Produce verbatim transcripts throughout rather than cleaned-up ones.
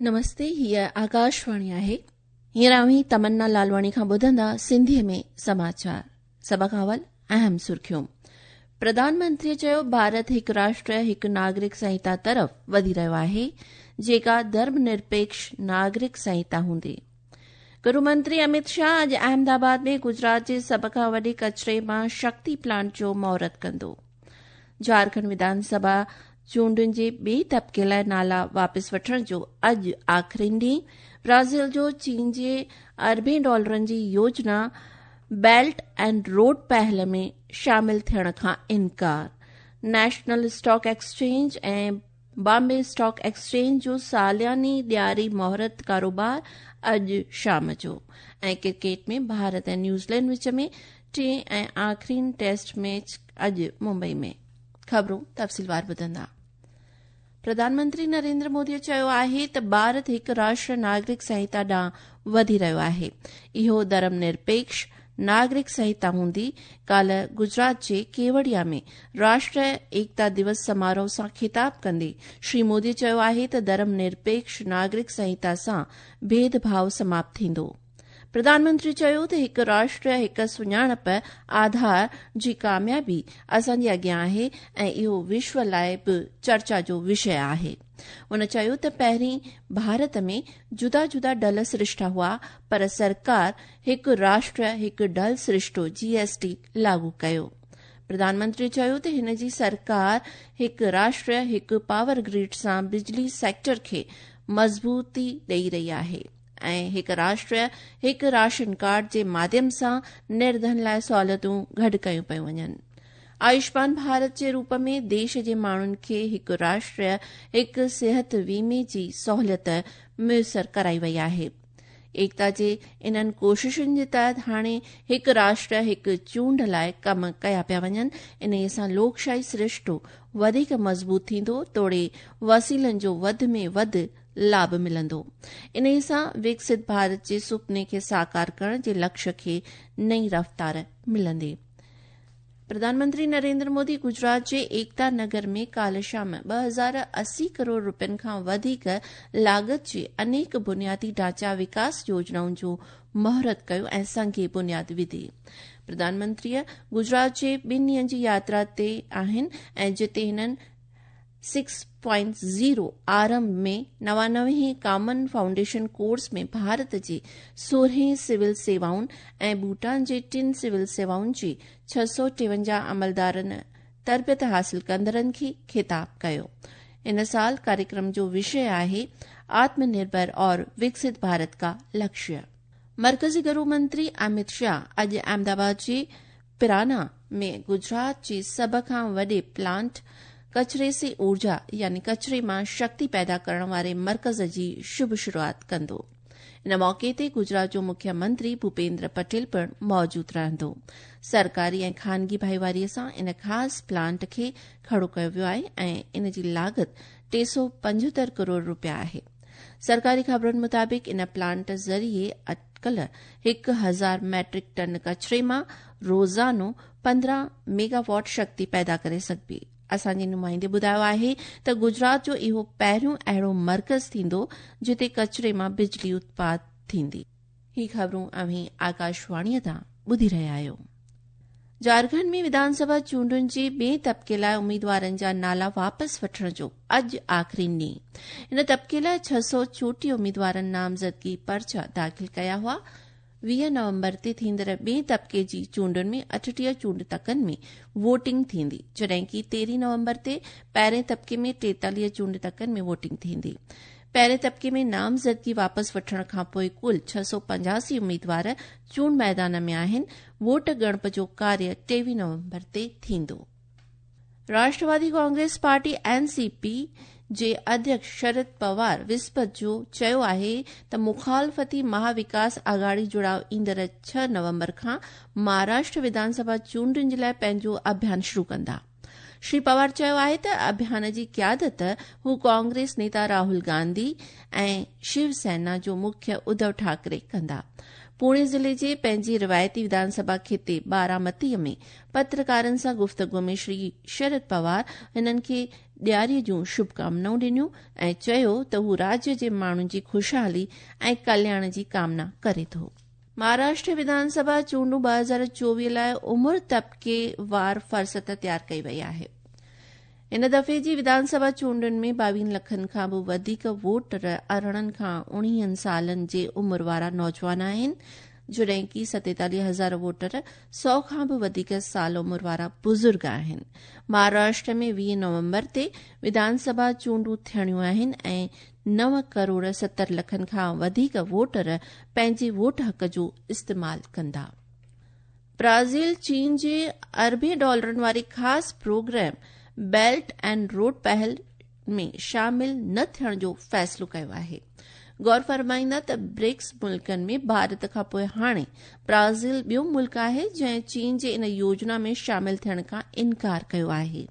نمستي، هيء آڪاشواڻي آهي. هينئر اوهين تمنا لالواڻي کان ٻڌندا سنڌيء ۾ سماچار. سڀ کان اول اهم سرخيون. پرڌان منتري چيو ڀارت هڪ راشٽر هڪ ناگرڪ سنهتا طرف وڌي رهيو آهي، جيڪا ڌرم نرپيڪش ناگرڪ سنهتا هوندي. گهرو منتري امت شاهه اڄ احمد آباد ۾ گجرات جي سڀ کان وڏي ڪچري مان شڪتي پلانٽ جو مهورت ڪندو. جهارکنڊ وڌان سڀا چونڊن جي ٻئي طبقي لاء نالا واپس وٺڻ جو اڄ آخرين ڏينهن. برازيل جو چين جي اربين ڊالرن جي يوجنا بيلٽ اينڊ روڊ پهل ۾ شامل ٿيڻ کان انڪار. National stock exchange ۽ Bombay stock exchange جو سالياني ڏياري مهورت ڪاروبار اڄ شام جو. ۽ ڪرڪيٽ ۾ ڀارت ۽ نيوزيلينڊ وچ ۾ ٽئين ۽ آخرين ٽيسٽ ميچ اڄ ممبئي ۾. خبرون تفصيلوار ٻڌندا. پرڌان منتري نريندر مودي چيو آهي ته ڀارت هڪ راشٽر ناگرڪ سنهتا ڏانهن وڌي رهيو آهي. اهو ڌرم نرپيڪش ناگرڪ سنهتا هوندي. ڪالهه گجرات جي ڪيوڙيا ۾ راشٽر ايڪتا دوس سماروهه سان خطاب ڪندي شري مودي چيو آهي ته ڌرم نرپيڪش ناگرڪ سنهتا سان ڀيد ڀاءُ سماپت ٿيندو. پرڌان منتري چيو ته هڪ راشٽر هڪ سڃاڻپ آڌار جي ڪاميابي اسان جي اڳيان آهي ۽ اهو وشو لاءِ به چرچا جو وشيه آهي. هن چيو ته پهرين ڀارت ۾ جدا جدا ڍل سرشتا هئا، پر سرڪار هڪ راشٽر هڪ ڍل سرشتو جي ايس ٽي لاڳو ڪيو. پرڌان منتري چيو ته هن جي سرڪار هڪ راشٽر هڪ پاور گرڊ سان بجلي سيڪٽر کي مضبوطي ڏئي رهي آهي ۽ هڪ راشٽر هڪ راشن ڪارڊ جي ماڌيم سان نرڌن لاءِ سهوليتون گڏ ڪيون پيون وڃن. آيوشمان ڀارت جي روپ ۾ ديش جي ماڻهن کي هڪ راشٽر هڪ صحت ويمي جي سهوليت ميسر ڪرائي وئي آهي. ايڪتا جي انهن ڪوششن جي تحت هاڻي هڪ راشٽر هڪ چونڊ لاءِ ڪم ڪيا پيا وڃن. انهيءَ سان لوڪشاهي سرشتو وڌيڪ مضبوط ٿيندو توڙي وسيلن جو وڌ ۾ وڌ لاڀ ملندو. انهيءَ سان وڪست ڀارت جي سپني کي ساڪار ڪرڻ جي لڪشيه کي نئين رفتار ملندي. پرڌان منتري نريندر مودي گجرات جي ايڪتا نگر ۾ ڪالهه شام ٻه هزار اسي ڪروڙ روپين کان وڌيڪ لاڳت جي انيڪ بنيادي ڍانچا وڪاس يوجنائن جو مهورت ڪيو ۽ سنگ بنياد وڌي. پرڌان منتري گجرات جي ٻن ڏينهن جي ياترا تي آهن ۽ جتي هنن سڪس پوائنٽ زيرو آرنڀ ۾ نوانوي ڪامن فائونڊيشن ڪورس ۾ ڀارت جي سورهين سول سيوائن ۽ ڀوٽان جي ٽن سول سيوائن جي ڇهه سؤ ٽيونجاهه عملدارن تربيت حاصل ڪندڙن کي خطاب ڪيو. ان سال ڪاريڪرم جو وشيه آهي آتم نرڀر اور وڪست ڀارت ڪا لڪشيه. مرڪزي گهرو منتري امت شاهه اڄ احمد آباد جي پرانا ۾ گجرات جي سڀ کان وڏي پلانٽ ڪچري سي اورجا يعني ڪچري مان شڪتي پيدا ڪرڻ واري مرڪز جي شڀ شروعات ڪندو. ان موقعي تي گجرات جو مکيه منتري ڀوپيندر پٽيل پڻ موجود رهندو. سرڪاري ۽ خانگي ڀائيواريءَ سان ان خاص پلانٽ کي کڙو ڪيو ويو آهي ۽ ان جي لاڳت ٽي سؤ پنجهتر ڪروڙ روپيا آهي. سرڪاري خبرن مطابق ان پلانٽ ذريعي اٽڪل هڪ هزار ميٽرڪ ٽن ڪچري مان روزانو پندرهن ميگاواٽ شڪتي پيدا ڪري سگهبي. اسان جي نمائندي ٻڌايو آهي ته گجرات جو اهو پهريون اهڙو مرڪز ٿيندو جتي ڪچري مان بجلي اتپاد ٿيندي. هي خبرون اوهين آڪاشواڻيءَ تان ٻڌي رهيا آهيو. جهارکنڊ ۾ وڌان سڀا چونڊن جي ٻئي طبقي لاءِ اميدوارن جا نالا واپس وٺڻ جو اڄ آخرين ڏينهن. ان طبقي لاءِ ڇهه سؤ چوٽيهه اميدوارن نامزدگي پرچا داخل ڪيا هئا. ويهه نومبر تي ٿيندڙ ٻئي طبقي جي چونڊن ۾ اٺٽيهه چونڊ تڪن ۾ ووٽنگ ٿيندي، جڏهن ڪه تيرهين نومبر تي پهرين طبقي ۾ ٽيتاليهه چونڊ تڪن ۾ ووٽنگ ٿيندي. پهرين طبقي ۾ نامزدگي واپس وٺڻ کان پوءِ ڪل ڇهه سؤ پنجاسي اميدوار چونڊ ميدان ۾ آهن. ووٽ ڳڻپ جو ڪاريه ٽيويهه نومبر تي ٿيندو. Rashtrawadi Congress party N C P جي اڌيڪش شرد پوار وسپت جو چيو آهي ته مخالفتي مهاوڪاس آگهاڙي جڙاءُ ايندڙ ڇهه نومبر کان مهاراشٽر وڌان سڀا چونڊن جي لاءِ پنهنجو اڀيان شروع ڪندا. شري پوار چيو آهي ته اڀيان جي قيادت هو ڪانگريس نيتا راهول گانڌي ۽ شو سينا جو مکيه اڌو ٺاڪري ڪندا. पुणे ज़िले जे पंहिंजी रिवायती विधानसभा खिते बारामतीअ में पत्रकारनि सां गुफ़्तगू में श्री शरद पवार हिननि खे ॾियारीअ जूं शुभकामनाऊं ॾिनियूं ऐं चयो त हू राज्य जे माण्हुनि जी ख़ुशहाली ऐं कल्याण जी कामना करे थो। महाराष्ट्र विधानसभा चूंडूं ॿ हज़ार चोवीह लाइ उमिरि तबिके वार फहरिस्त तयार कई वई आहे। हिन दफ़े जी विधानसभा चूंडुनि में ॿावीह लखनि खां बि वधीक वोटर अरिड़हं खां उणिवीहनि सालनि जे उमिरि वारा नौजवान आहिनि, जॾहिं की सतेतालीह हज़ार वोटर सौ खां बि वधीक साल उमिरि वारा बुज़ुर्ग आहिनि। महाराष्ट्र में वीह नवंबर ते विधानसभा चूंडूं थियणियूं आहिनि ऐं नव करोड़ सतरि लखनि खां वधीक वोटर पंहिंजे वोट हक़ जो इस्तेमाल कंदा। ब्राज़ील चीन जे अरबे डॉलरनि वारे ख़ासि प्रोग्राम बेल्ट एंड रोड पहल में शामिल न थियण जो फ़ैसिलो कयो आहे। गौर फरमाईंदा त ब्रिक्स मुल्कनि में भारत खां पोइ हाणे ब्राज़ील ॿियो मुल्क आहे जंहिं चीन जे इन योजना में शामिल थियण खां इनकार कयो आहे।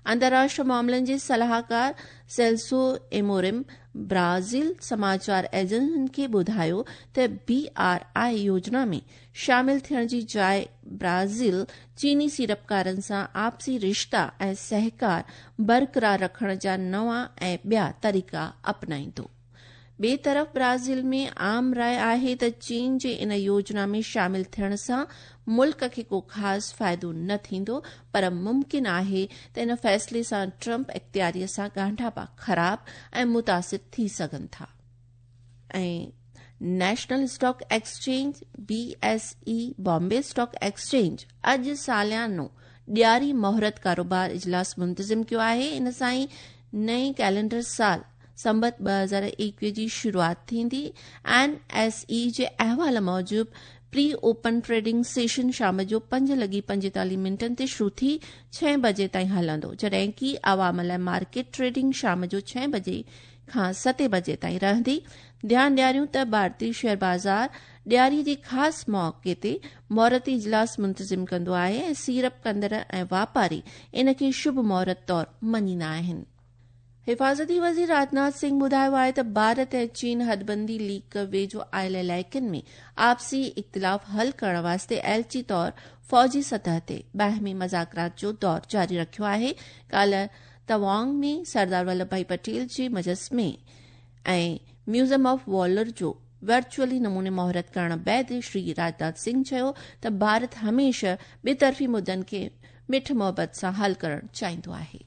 अंतर्राष्ट्रीय मामलनि जे सलाहकार सेल्सो एमोरिम ब्राज़ील समाचार एजेंसियुनि खे ॿुधायो त बी आर I योजना में शामिल थियण जी जाइ ब्राज़ील चीनी सीड़पकारनि सां आपसी रिश्ता ऐं सहकार बरक़रार रखण जा नवां ऐं ॿिया तरीक़ा अपनाईंदो। ॿिए तरफ़ ब्राज़ील में आम राय आहे त चीन जे इन योजना में शामिल थियण सां मुल्क खे को ख़ासि फ़ाइदो न थींदो, पर मुमकिन आहे त इन फ़ैसिले सां ट्रंप इख़्तियारीअ सां ॻांढापा ख़राब ऐं मुतासिर थी सघनि था। ऐं national stock exchange B S E Bombay stock exchange अॼु सालियानो ॾियारी मुहूर्त कारोबार इजलास मुंतज़िम कयो आहे। इन सां ई नए कैलेंडर साल संबत ॿ हज़ार एकवीह जी शुरूआत थींदी। एन एस ई जे अहवाल मूजिबि प्री ओपन ट्रेडिंग सेशन शाम जो पंज लॻी पंजेतालीह मिंटनि ते शुरू थी छह बजे ताईं हलंदो, जॾहिं की आवाम लाइ मार्केट ट्रेडिंग शाम जो छह बजे खां सते बजे ताईं रहंदी। ध्यानु ॾियारियूं त भारतीय शेयर बाज़ार ॾियारीअ जे ख़ासि मौक़े ते मुहूर्ती इजलास मुंतज़िम कंदो आहे ऐं सीड़प कंदड़ ऐं वापारी इन खे शुभ मुहूर्त तौरु मञींदा आहिनि। हिफाज़ती वज़ीर राजनाथ सिंह ॿुधायो आहे त भारत ऐं चीन हदबंदी लीक वेझो आयल इलाइक़नि में आपसी इख़्तिलाफ़ हल करण वास्ते एलची तौर फ़ौजी सतह ते बाहमी मज़ाकरात जो दौर जारी रखियो आहे। काल्ह तवांग में सरदार वल्लभ भाई पटेल जे मुजस्मे ऐं म्यूज़ियम ऑफ वॉलर जो वर्चुअली नमूने मुहूर्त करण बाद श्री राजनाथ सिंह चयो त भारत हमेशह ॿितरफ़ी मुद्दनि खे मिठ मोहबत सां हल करण चाहींदो आहे।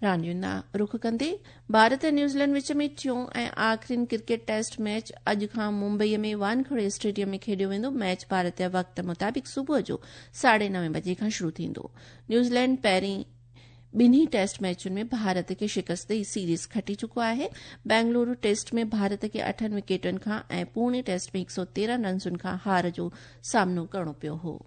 रांदियुनि ॾांहुं रुख कंदे भारत ऐं न्यूज़ीलैंड विच में टियों ऐं आख़िरीन क्रिकेट टेस्ट मैच अॼु खां मुंबईअ में वानखेड़े स्टेडियम में खेॾियो वेंदो। मैच भारत जे वक़्त मुताबिक़ सुबुह जो साढे नवे बजे खां शुरू थींदो। न्यूज़ीलैंड पहिरीं ॿिन्ही टेस्ट मैचुनि में भारत खे शिकस्त ॾेई सीरीज़ खटी चुको आहे। बेंगलुरु टेस्ट में भारत खे अठनि विकेटुनि खां ऐं पुणे टेस्ट में हिकु सौ तेरहं रनसुनि खां हार जो सामनो करिणो पियो हो।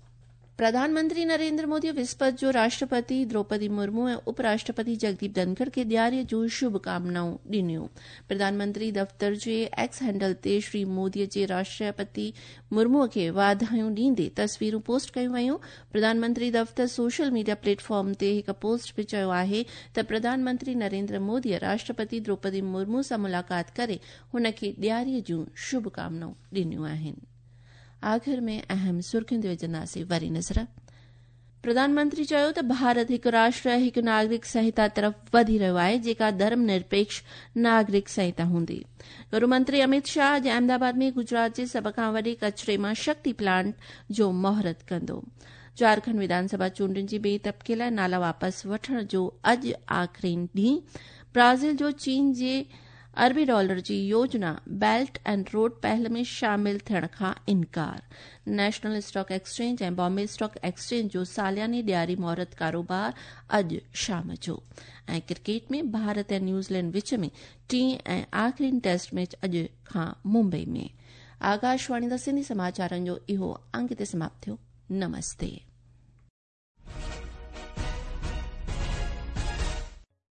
प्रधानमंत्री नरेंद्र मोदी विस्पत जो राष्ट्रपति द्रौपदी मुर्मू ऐं उपराष्ट्रपति जगदीप धनखड़ खे ॾियारीअ जूं शुभकामनाऊं ॾिनियूं। प्रधानमंत्री दफ़्तर जे एक्स हैंडल ते श्री मोदीअ जे राष्ट्रपति मुर्मूअ खे वाधायूं ॾींदे तस्वीरूं पोस्ट कयूं वयूं। प्रधानमंत्री दफ़्तर सोशल मीडिया प्लेटफॉर्म ते हिकु पोस्ट में चयो आहे त प्रधानमंत्री नरेंद्र मोदीअ राष्ट्रपति द्रौपदी मुर्मू सां मुलाक़ात करे हुन खे ॾियारीअ जूं शुभकामनाऊं ॾिनियूं आहिनि। आख़िर में अहम सुर्खियुनि ते विझंदासीं वरी नज़र। प्रधानमंत्री चयो त भारत हिकु राष्ट्र हिकु नागरिक संहिता तरफ़ वधी रहियो आहे, जेका धर्म निरपेक्ष नागरिक संहिता हूंदी। गृह मंत्री अमित शाह अॼु अहमदाबाद में गुजरात जे सभ खां वॾे कचरे मां शक्ति प्लांट जो मुहूर्त कंदो। झारखंड विधानसभा चूंडुनि जे ॿिए तबिके लाइ नाला वापसि वठण जो अॼु आख़िरीन ॾींहुं। ब्राज़ील जो चीन जे अरबी डॉलर जी योजना बेल्ट एंड रोड पहल में शामिल थियण खां इनकार। नेशनल स्टॉक एक्सचेंज ऐं बॉम्बे स्टॉक एक्सचेंज जो सालियानी ॾियारी मुहूर्त कारोबार अॼु शाम जो। ऐं क्रिकेट में भारत ऐं न्यूज़ीलैंड विच में टीं ऐं आख़िरीन टेस्ट मैच अॼु खां मुंबई में। आकाशवाणी दा सिंधी समाचारनि जो इहो अंक हिते समाप्त थियो। नमस्ते।